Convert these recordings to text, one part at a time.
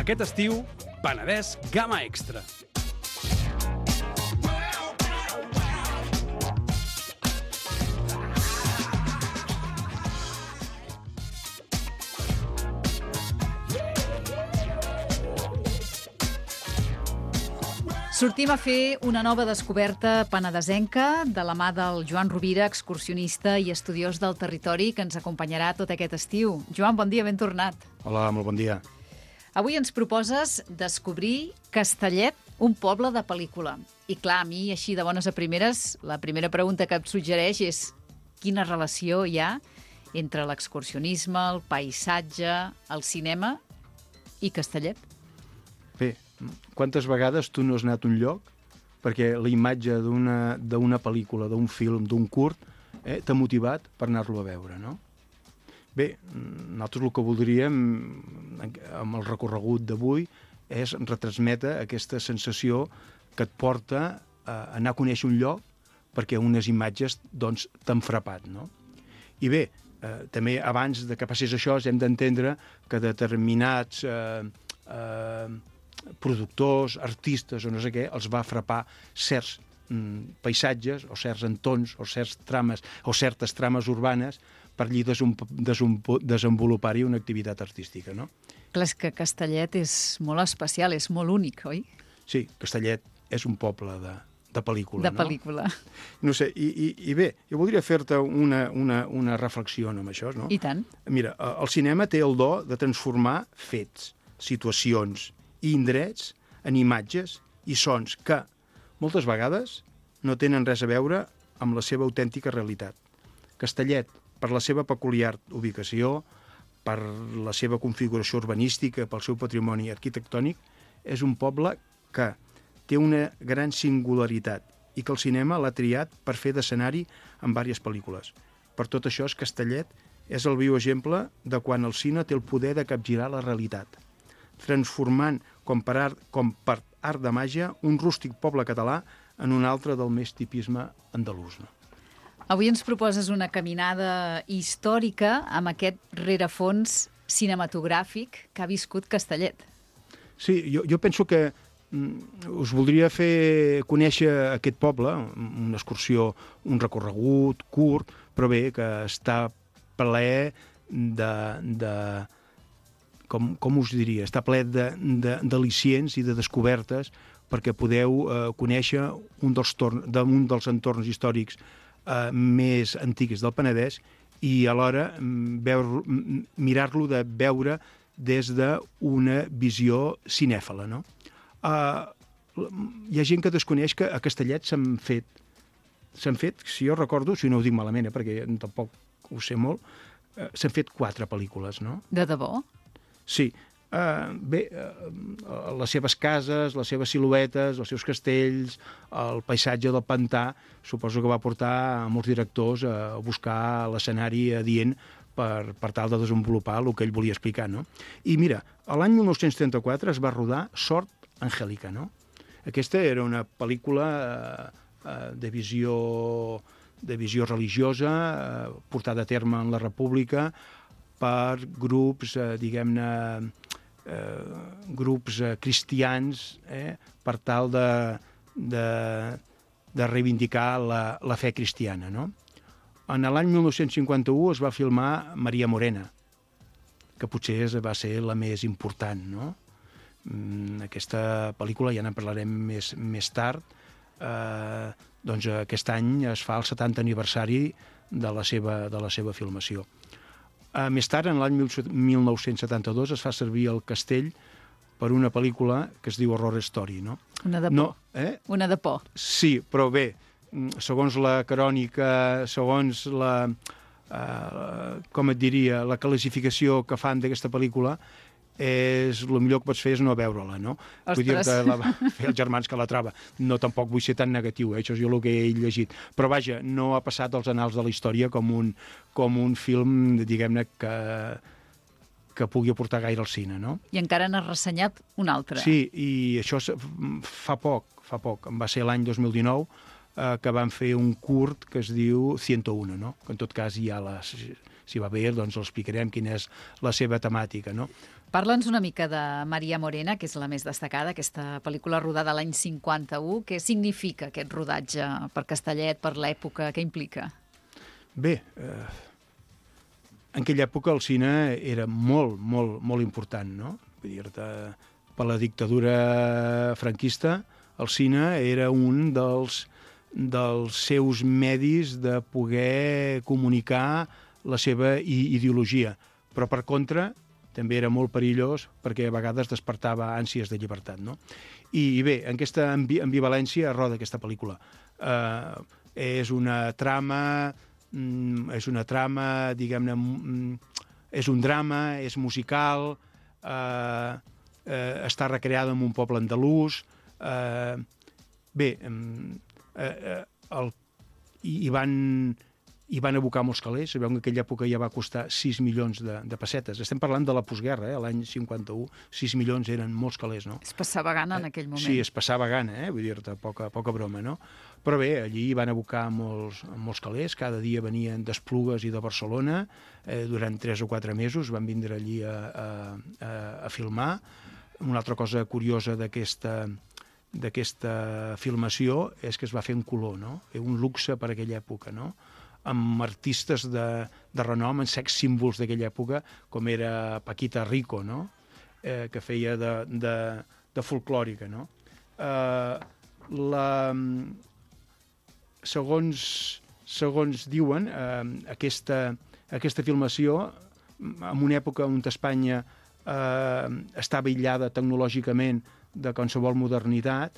Aquest estiu, Penedès Gamma Extra. Sortim a fer una nova descoberta penedesenca de la mà del Joan Rovira, excursionista i estudiós del territori, que ens acompanyarà tot aquest estiu. Joan, bon dia, ben tornat. Hola, molt bon dia. Avui ens proposes descobrir Castellet, un poble de pel·lícula. I clar, a mi, així de bones a primeres, la primera pregunta que em suggereix és quina relació hi ha entre l'excursionisme, el paisatge, el cinema i Castellet? Bé, quantes vegades tu no has anat a un lloc perquè la imatge d'una pel·lícula, d'un film, d'un curt, t'ha motivat per anar-lo a veure, no? Bé, nosaltres el que voldríem amb el recorregut d'avui és retransmetre aquesta sensació que et porta a anar a conèixer un lloc perquè unes imatges doncs, t'han frapat, no? I bé, també abans de que passés això hem d'entendre que determinats productors, artistes o no sé què, els va frapar certs paisatges o certs entorns o certes trames urbanes per allí desenvolupar-hi una activitat artística, no? Clar, és que Castellet és molt especial, és molt únic, oi? Sí, Castellet és un poble de pel·lícula, de pel·lícula. No sé, i bé, jo voldria fer-te una reflexió amb això, no? I tant. Mira, el cinema té el do de transformar fets, situacions i indrets en imatges i sons que, moltes vegades, no tenen res a veure amb la seva autèntica realitat. Castellet, per la seva peculiar ubicació, per la seva configuració urbanística, pel seu patrimoni arquitectònic, és un poble que té una gran singularitat i que el cinema l'ha triat per fer d'escenari en diverses pel·lícules. Per tot això, Castellet és el viu exemple de quan el cine té el poder de capgirar la realitat, transformant, com per art de màgia, un rústic poble català en un altre del més tipisme andalús. No? Avui ens proposes una caminada històrica amb aquest rerefons cinematogràfic que ha viscut Castellet. Sí, jo penso que us voldria fer conèixer aquest poble, una excursió, un recorregut curt, però bé, que està ple com us diria, està ple d'al·licients i de descobertes perquè podeu conèixer un dels entorns històrics més antics del Penedès i alhora mirar-lo de veure des d'una visió cinèfala, no? Hi ha gent que desconeix que a Castellet s'han fet, si jo recordo, si no ho dic malament, perquè tampoc ho sé molt, s'han fet 4 pel·lícules, no? De debò? Sí. Bé, les seves cases, les seves siluetes, els seus castells, el paisatge del pantà, suposo que va portar a molts directors a buscar l'escenari adient per tal de desenvolupar el que ell volia explicar, no? I mira, l'any 1934 es va rodar Sort Angèlica, no? Aquesta era una pel·lícula de visió religiosa, portada a terme en la República per grups, diguem-ne, grups cristians, per tal de reivindicar la fe cristiana, no? En l'any 1951 es va filmar Maria Morena, que potser va ser la més important, no? Aquesta pel·lícula, ja en parlarem més tard, doncs aquest any es fa el 70 aniversari de la seva filmació. Més tard, en l'any 1972, es fa servir el castell per una pel·lícula que es diu Horror Story, no? Una de por. No, Una de por. Sí, però bé, segons la crònica, segons com et diria, la classificació que fan d'aquesta pel·lícula, el millor que pots fer és no veure-la, no? Ostres! Vull dir que fer els germans que la troba. No, tampoc vull ser tan negatiu, això és el que he llegit. Però vaja, no ha passat als annals de la història com un film, diguem-ne, que pugui aportar gaire al cine, no? I encara n'has ressenyat un altre. Sí, i això fa poc, va ser l'any 2019, que van fer un curt que es diu 101, no? Que en tot cas ja si va bé, doncs l'explicarem quina és la seva temàtica, no? Parla'ns una mica de Maria Morena, que és la més destacada, aquesta pel·lícula rodada l'any 51. Què significa aquest rodatge per Castellet, per l'època? Què implica? Bé, en aquella època el cine era molt, molt, molt important, no? Vull dir-te, per la dictadura franquista, el cine era un dels seus medis de poder comunicar la seva ideologia. Però, per contra, també era molt perillós perquè a vegades despertava ànsies de llibertat, no? I bé, en aquesta ambivalència roda aquesta pel·lícula. És una trama, diguem-ne, és un drama, és musical, està recreada en un poble andalús. Bé, hi van abocar molts calés. Sabeu que en aquella època ja va costar 6 milions de pessetes. Estem parlant de la postguerra, l'any 51, 6 milions eren molts calés, no? Es passava gana en aquell moment. Sí, es passava gana, vull dir-te, poca broma, no? Però bé, allí van abocar molts calés, cada dia venien d'Esplugues i de Barcelona, durant 3 o 4 mesos van vindre allí a filmar. Una altra cosa curiosa d'aquesta filmació és que es va fer en color, no? Un luxe per aquella època, no? Amb artistes de renom, en sex símbols d'aquella època, com era Paquita Rico, no? Que feia de folclòrica, no? Segons diuen, aquesta filmació, en una època on Espanya estava aïllada tecnològicament de qualsevol modernitat,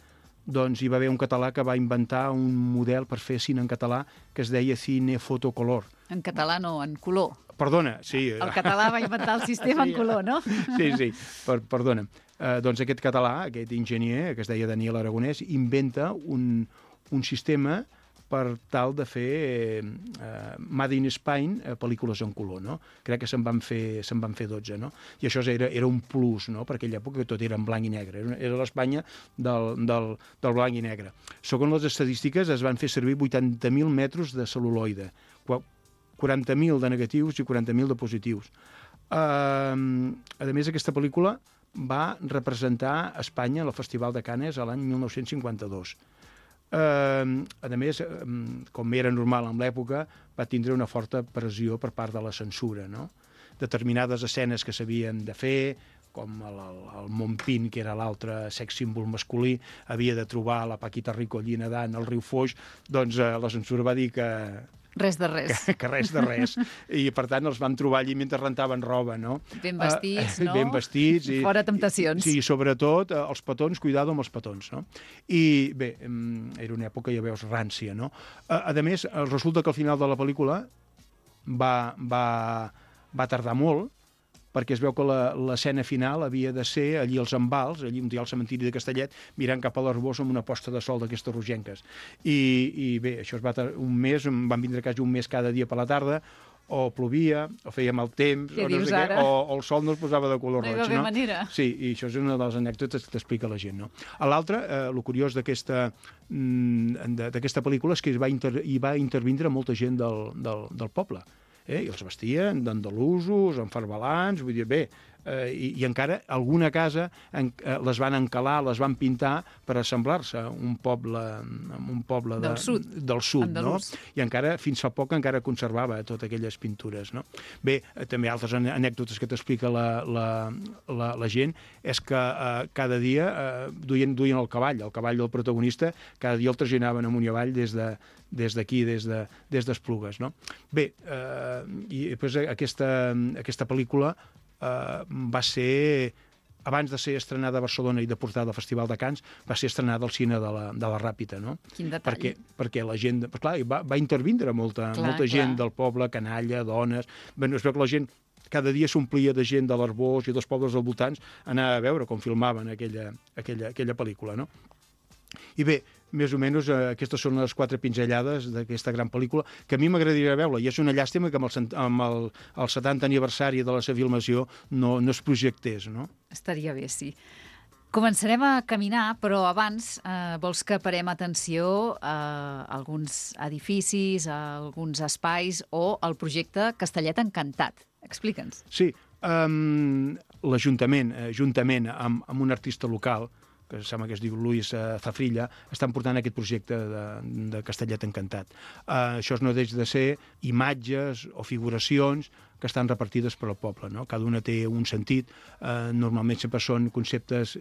doncs hi va haver un català que va inventar un model per fer cine en català que es deia cine fotocolor. En català no, en color. Perdona, sí. El català va inventar el sistema en color, no? Sí, perdona. Doncs aquest català, aquest enginyer, que es deia Daniel Aragonès, inventa un sistema per tal de fer Made in Spain, pel·lícules en color, no? Crec que se'n van fer 12, no? I això era un plus, no? Per aquella època tot era en blanc i negre. Era l'Espanya del blanc i negre. Segons les estadístiques, es van fer servir 80.000 metres de cel·luloide, 40.000 de negatius i 40.000 de positius. A més, aquesta pel·lícula va representar Espanya al Festival de Canes l'any 1952. A més, com era normal en l'època, va tindre una forta pressió per part de la censura, no? Determinades escenes que s'havien de fer, com el Montpín, que era l'altre sex símbol masculí, havia de trobar la Paquita Rico allí nedant al riu Foix, doncs la censura va dir que res de res. Que res de res. I, per tant, els vam trobar allí mentre rentaven roba, no? Ben vestits, no? Ben vestits. Fora temptacions. Sí, sobretot els petons, cuidado amb els petons, no? I, bé, era una època, ja veus, rància, no? A més, resulta que al final de la pel·lícula va tardar molt, perquè es veu que l'escena final havia de ser allí als Envals, allí on hi ha el cementiri de Castellet, mirant cap a l'Arbós amb una posta de sol d'aquestes rogenques. I bé, això es va tardar un mes, van vindre quasi un mes cada dia per la tarda, o plovia, o feia mal temps, o el sol no es posava de color roig. No hi va haver manera. Sí, i això és una de les anècdotes que t'explica la gent, no? A l'altre, el curiós d'aquesta pel·lícula és que hi va intervindre molta gent del poble. I els vestien d'andalusos, enfarbalants, vull dir, bé, i encara alguna casa les van encalar, les van pintar per assemblar-se a un poble del sud, no? I encara, fins fa poc, encara conservava totes aquelles pintures, no? Bé, també altres anècdotes que t'explica la gent és que cada dia duien el cavall del protagonista, cada dia el traginaven amunt i avall des d'aquí, des d'Esplugues, no? Bé, i després aquesta pel·lícula va ser, abans de ser estrenada a Barcelona i de portada al Festival de Canes, va ser estrenada al cine de la Ràpita, no? Quin detall. Perquè la gent, clar, va intervindre molta gent del poble, canalla, dones. Bé, es veu que la gent cada dia s'omplia de gent de l'Arbós i dels pobles dels voltants anar a veure com filmaven aquella pel·lícula, no? I bé, més o menys aquestes són les 4 pinzellades d'aquesta gran pel·lícula, que a mi m'agradaria veure, i és una llàstima que amb el 70 aniversari de la seva filmació no es projectés, no? Estaria bé, sí. Començarem a caminar, però abans vols que parem atenció a alguns edificis, a alguns espais o al projecte Castellet Encantat. Explica'ns. Sí, l'Ajuntament, juntament amb un artista local, que sembla que es diu Luis Zafrilla, estan portant aquest projecte de Castellet Encantat. Això no deixa de ser imatges o figuracions que estan repartides per al poble, no? Cada una té un sentit, normalment sempre són conceptes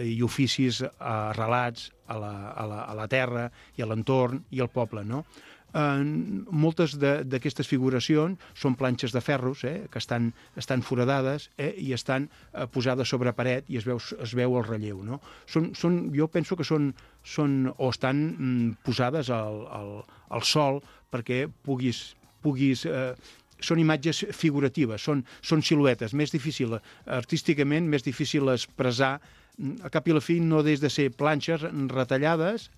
i oficis arrelats a la terra i a l'entorn i al poble, no? Moltes d'aquestes figuracions són planxes de ferros que estan foradades i estan posades sobre paret i es veu el relleu, no? Jo penso que són o estan posades al sol perquè puguis són imatges figuratives, són siluetes, més difícil, artísticament més difícil expressar. A cap i a la fi no des de ser planxes retallades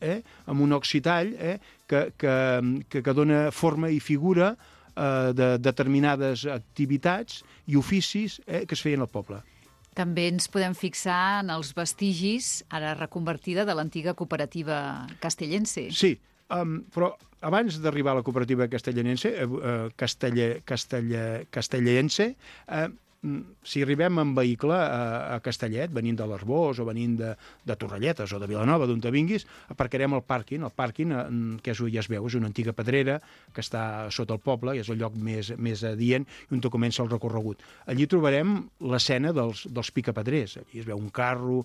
amb un oxitall que dona forma i figura de determinades activitats i oficis que es feien al poble. També ens podem fixar en els vestigis, ara reconvertida, de l'antiga cooperativa castellense. Sí, però abans d'arribar a la cooperativa castellense, si arribem en vehicle a Castellet, venint de l'Arboç o venint de Torrelletes o de Vilanova, d'on te vinguis, aparcarem al pàrquing. El pàrquing, que ja es veu, és una antiga pedrera que està sota el poble, i és el lloc més adient, i on comença el recorregut. Allí trobarem l'escena dels picapedrers. Allí es veu un carro,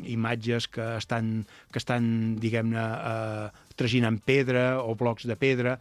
imatges que estan diguem-ne, traginant pedra o blocs de pedra.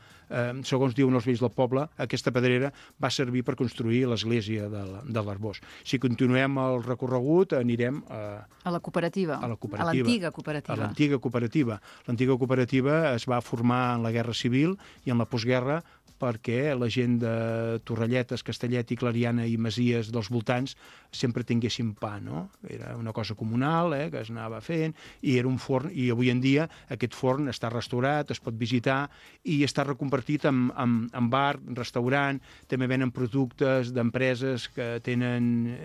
Segons diuen els vells del poble, aquesta pedrera va servir per construir l'església de l'Arboç. Si continuem el recorregut, anirem a la cooperativa. A l'antiga cooperativa. A l'antiga cooperativa. L'antiga cooperativa es va formar en la Guerra Civil i en la postguerra perquè la gent de Torrelletes, Castellet i Clariana i Masies dels voltants sempre tinguessin pa, no? Era una cosa comunal que es anava fent i era un forn, i avui en dia aquest forn està restaurat, es pot visitar i està reconvertit en bar, restaurant, també venen productes d'empreses que tenen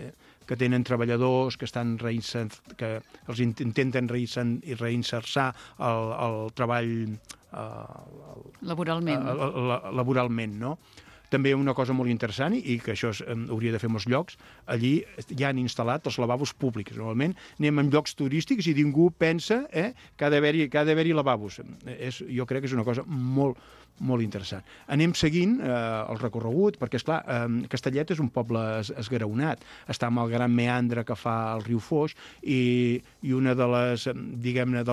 treballadors que els intenten reinsersar el treball laboralment, no? També una cosa molt interessant, i que això hauria de fer molts llocs, allí ja han instal·lat els lavabos públics. Normalment anem en llocs turístics i ningú pensa que ha d'haver-hi lavabos. Jo crec que és una cosa molt interessant. Anem seguint el recorregut, perquè, esclar, Castellet és un poble esgraonat. Està amb el gran meandre que fa el riu Foix i una dels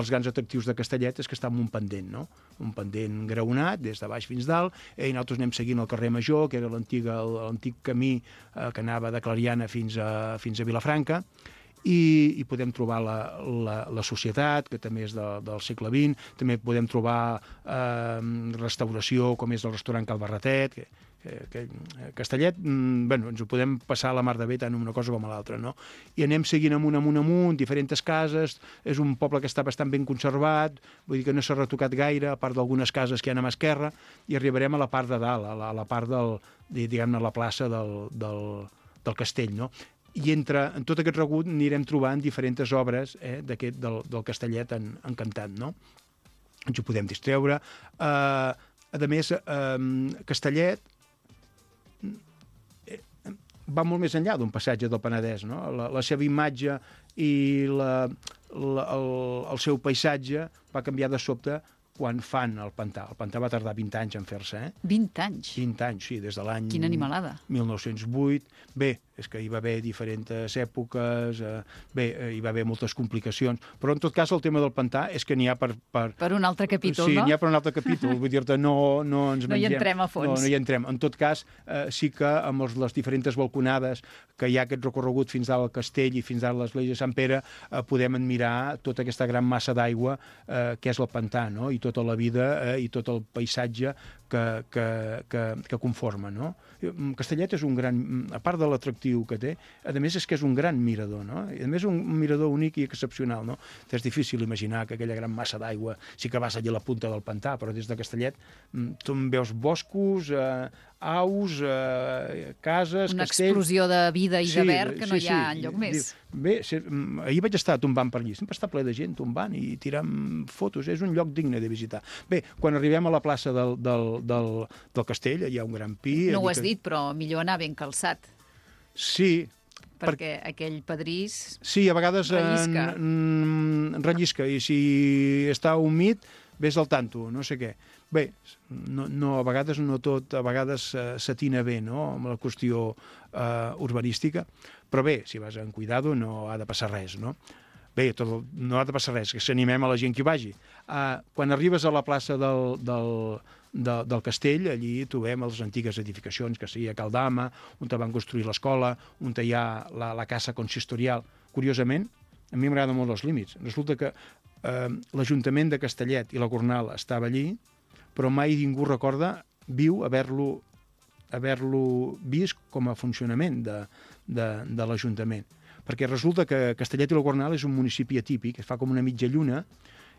grans atractius de Castellet és que està en un pendent, no? Un pendent graonat, des de baix fins dalt, i nosaltres anem seguint el carrer Major, que era l'antic camí que anava de Clariana fins a Vilafranca, i podem trobar la societat, que també és del segle XX, també podem trobar restauració, com és el restaurant Cal Barretet, Castellet, ens ho podem passar a la mar de bé tant una cosa com a l'altra, no? I anem seguint amunt, diferents cases, és un poble que està bastant ben conservat, vull dir que no s'ha retocat gaire, a part d'algunes cases que hi ha a mà esquerra, i arribarem a la part de dalt, a la part diguem-ne, la plaça del castell, no? I en tot aquest regut anirem trobant diferents obres del Castellet Encantat, no? Ens ho podem distreure. A més, Castellet va molt més enllà d'un passatge del Penedès, no? La seva imatge i el seu paisatge va canviar de sobte quan fan el pantà. El pantà va tardar 20 anys en fer-se. 20 anys? 20 anys, sí, des de l'any... Quina animalada. 1908. Bé, és que hi va haver diferents èpoques, hi va haver moltes complicacions, però en tot cas el tema del pantà és que n'hi ha per... Per un altre capítol, no? Sí, n'hi ha per un altre capítol. Vull dir-te, no ens mengem... No hi entrem a fons. No hi entrem. En tot cas, sí que amb les diferents balconades que hi ha aquest recorregut fins al castell i fins a l'església de Sant Pere, podem admirar tota aquesta gran massa d'aigua que és el pantà, no? I tota la vida i tot el paisatge que conforma, no? Castellet és un gran... A part de l'atractiu que té, a més és que és un gran mirador, no? I a més un mirador únic i excepcional, no? És difícil imaginar que aquella gran massa d'aigua sí que vas allà a la punta del pantà, però des de Castellet tu en veus boscos, aus, cases, una castells... explosió de vida i de verd que no hi ha enlloc més. Bé, ahir vaig estar tombant per allí, sempre està ple de gent tombant i tirant fotos, és un lloc digne de visitar. Bé, quan arribem a la plaça del castell, hi ha un gran pi... No ho has dit, però millor anar ben calçat. Sí, perquè aquell pedrís... Sí, a vegades rellisca, i si està humit, vés al tanto, no sé què. Bé, a vegades no tot, a vegades s'atina bé, no?, amb la qüestió urbanística, però bé, si vas amb cuidado no ha de passar res, no? Bé, no ha de passar res, que s'animem a la gent que hi vagi. Quan arribes a la plaça del castell, allí trobem les antigues edificacions, que seria Caldama, on van construir l'escola, on hi ha la casa consistorial. Curiosament, a mi m'agraden molt els límits. Resulta que l'Ajuntament de Castellet i la Gornal estava allí, però mai ningú recorda haver-lo vist com a funcionament de l'Ajuntament. Perquè resulta que Castellet i la Gornal és un municipi atípic, es fa com una mitja lluna,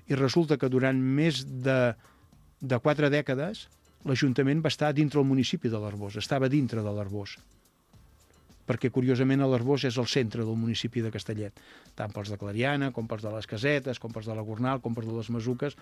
i resulta que durant més de 4 dècades l'Ajuntament va estar dintre el municipi de l'Arboç, estava dintre de l'Arboç, perquè curiosament l'Arboç és el centre del municipi de Castellet, tant pels de Clariana, com pels de les Casetes, com pels de la Gornal, com pels de les Masuques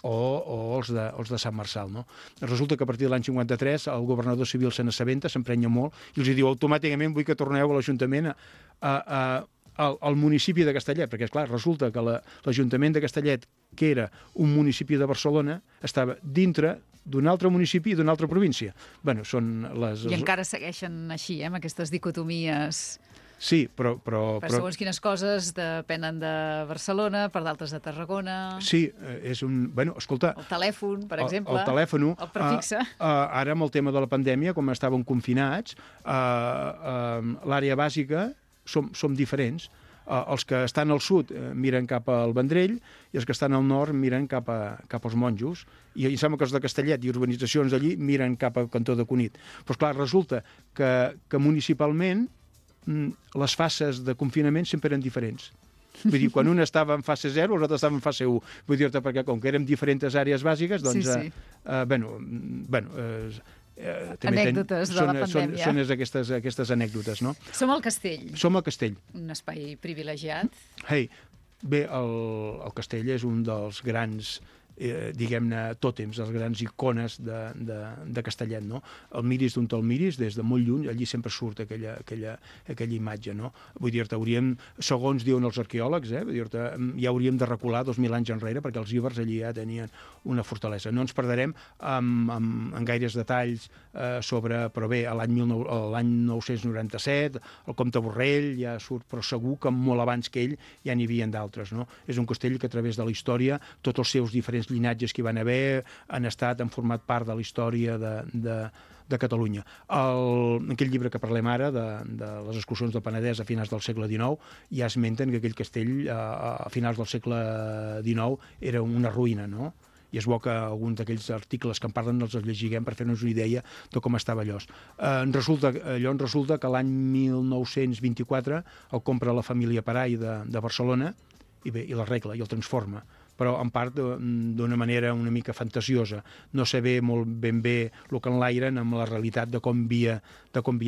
o els de Sant Marçal, no? Resulta que a partir de l'any 53 el governador civil se n'assabenta, s'emprenya molt, i els diu automàticament vull que torneu a l'Ajuntament al municipi de Castellet, perquè, esclar, resulta que l'Ajuntament de Castellet, que era un municipi de Barcelona, estava dintre d'un altre municipi i d'una altra província. Bueno, són les... I encara segueixen així, amb aquestes dicotomies... Sí, però... Per segons quines coses depenen de Barcelona, per d'altres de Tarragona... Sí, és un... Bueno, escolta... El telèfon, per exemple. El telèfon... El prefixe. Ara, amb el tema de la pandèmia, com estàvem confinats, l'àrea bàsica som diferents. Els que estan al sud miren cap al Vendrell i els que estan al nord miren cap als Monjos. I em sembla que els de Castellet i urbanitzacions d'allí miren cap al cantó de Cunit. Però, clar, resulta que municipalment les fases de confinament sempre eren diferents. Vull dir, quan un estava en fase 0, els altres estaven en fase 1. Vull dir-te, perquè com que érem diferents àrees bàsiques, doncs... Sí. Anècdotes de la pandèmia. Són aquestes anècdotes, no? Som al Castell. Som al Castell. Un espai privilegiat. Bé, el Castell és un dels grans, diguem-ne, tòtems, les grans icones de Castellet, no? El miris d'on te'l miris, des de molt lluny, allí sempre surt aquella imatge, no? Vull dir-te, segons diuen els arqueòlegs, vull dir-te, ja hauríem de recular 2.000 anys enrere, perquè els íbers allí ja tenien una fortalesa. No ens perderem en gaires detalls sobre, però bé, l'any 997, el comte Borrell ja surt, però segur que molt abans que ell ja n'hi havia d'altres, no? És un castell que a través de la història, tots els seus diferents llinatges que hi van haver han format part de la història de Catalunya. Aquell llibre que parlem ara, de les excursions del Penedès a finals del segle XIX, ja esmenten que aquell castell a finals del segle XIX era una ruïna, no? I és bo que alguns d'aquells articles que en parlen els llegiguem per fer-nos una idea de com estava allò. Resulta que l'any 1924 el compra la família Parai de Barcelona i la arregla i el transforma, però en part d'una manera una mica fantasiosa. No sé molt ben bé el que enlairen amb la realitat de com havia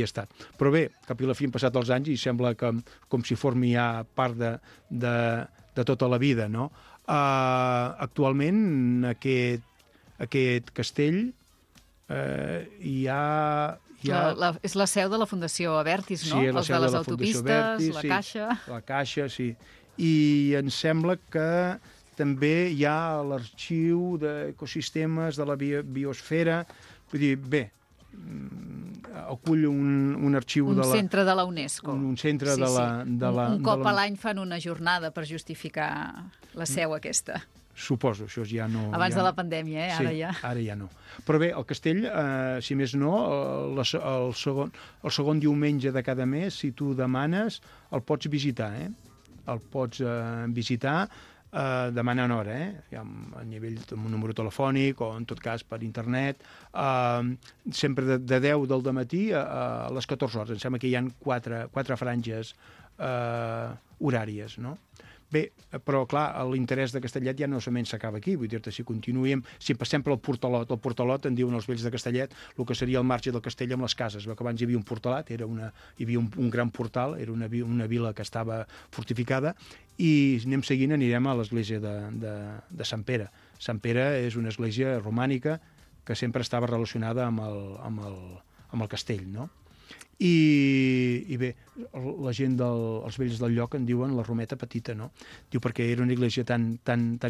estat. Però bé, cap i la fi han passat els anys i sembla que com si formi ja part de tota la vida, no? Actualment aquest castell és la seu de la Fundació Abertis, no? Sí, els de les autopistes, la Caixa... La Caixa, sí. I em sembla que també hi ha l'arxiu d'ecosistemes de la biosfera. Vull dir, bé, acull un arxiu un centre de la UNESCO. Un centre de la... Un cop a l'any fan una jornada per justificar la seu aquesta. Suposo, això ja no... Abans de la pandèmia, ara ja. Sí, ara ja no. Però bé, el castell, si més no, el segon diumenge de cada mes, si tu demanes, el pots visitar, El pots visitar. demanen hora, a nivell amb un número telefònic o en tot cas per internet, sempre de 10 del dematí a les 14 hores. Em sembla que hi ha 4 franges horàries, no? Bé, però clar, l'interès de Castellet ja no solament s'acaba aquí, vull dir-te, si continuem, si passem pel Portalot, el Portalot en diuen els vells de Castellet, el que seria el marge del castell amb les cases, que abans hi havia un portalat, hi havia un gran portal, era una vila que estava fortificada, i anem seguint, anirem a l'església de Sant Pere. Sant Pere és una església romànica que sempre estava relacionada amb el castell, no? I bé, la gent els vells del lloc en diuen la Rometa Petita, no? Diu perquè era una església tan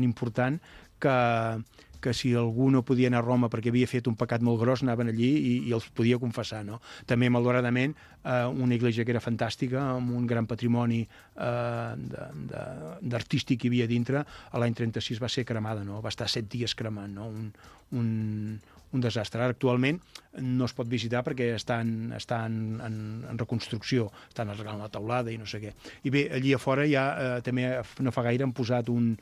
important que si algú no podia anar a Roma perquè havia fet un pecat molt gros, anaven allí i els podia confessar, no? També, malauradament, una església que era fantàstica, amb un gran patrimoni d'artístic que hi havia dintre, l'any 36 va ser cremada, no? Va estar 7 dies cremant, no? Un desastre. Ara, actualment, no es pot visitar perquè està en reconstrucció, estan arreglant la teulada i no sé què. I bé, allí a fora ja, també no fa gaire, han posat un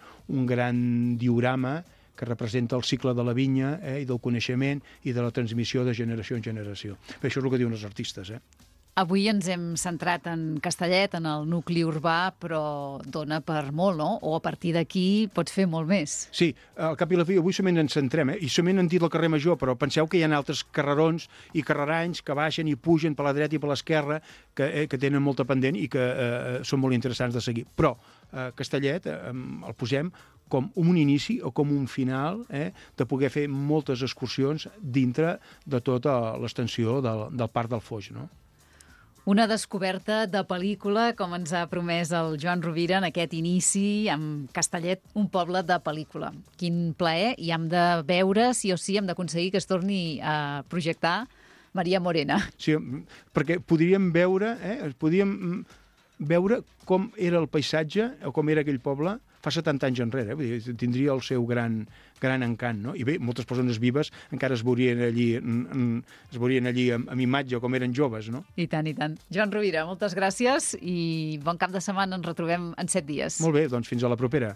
gran diorama que representa el cicle de la vinya i del coneixement i de la transmissió de generació en generació. Bé, això és el que diuen els artistes, Avui ens hem centrat en Castellet, en el nucli urbà, però dona per molt, no? O a partir d'aquí pot fer molt més. Sí, al cap i la fi, avui solament ens centrem, i solament han dit el carrer Major, però penseu que hi ha altres carrerons i carreranys que baixen i pugen per la dreta i per l'esquerra, que tenen molta pendent i que són molt interessants de seguir. Però Castellet el posem com un inici o com un final de poder fer moltes excursions dintre de tota l'extensió del Parc del Foix, no? Una descoberta de pel·lícula, com ens ha promès el Joan Rovira en aquest inici amb Castellet, un poble de pel·lícula. Quin plaer, i hem de veure, sí o sí, hem d'aconseguir que es torni a projectar Maria Morena. Sí, perquè podríem veure com era el paisatge o com era aquell poble fa 70 anys enrere. Vull dir, tindria el seu gran encant, no? I bé, moltes persones vives encara es veurien allí amb imatge com eren joves, no? I tant, i tant. Joan Rovira, moltes gràcies i bon cap de setmana. Ens retrobem en 7 dies. Molt bé, doncs fins a la propera.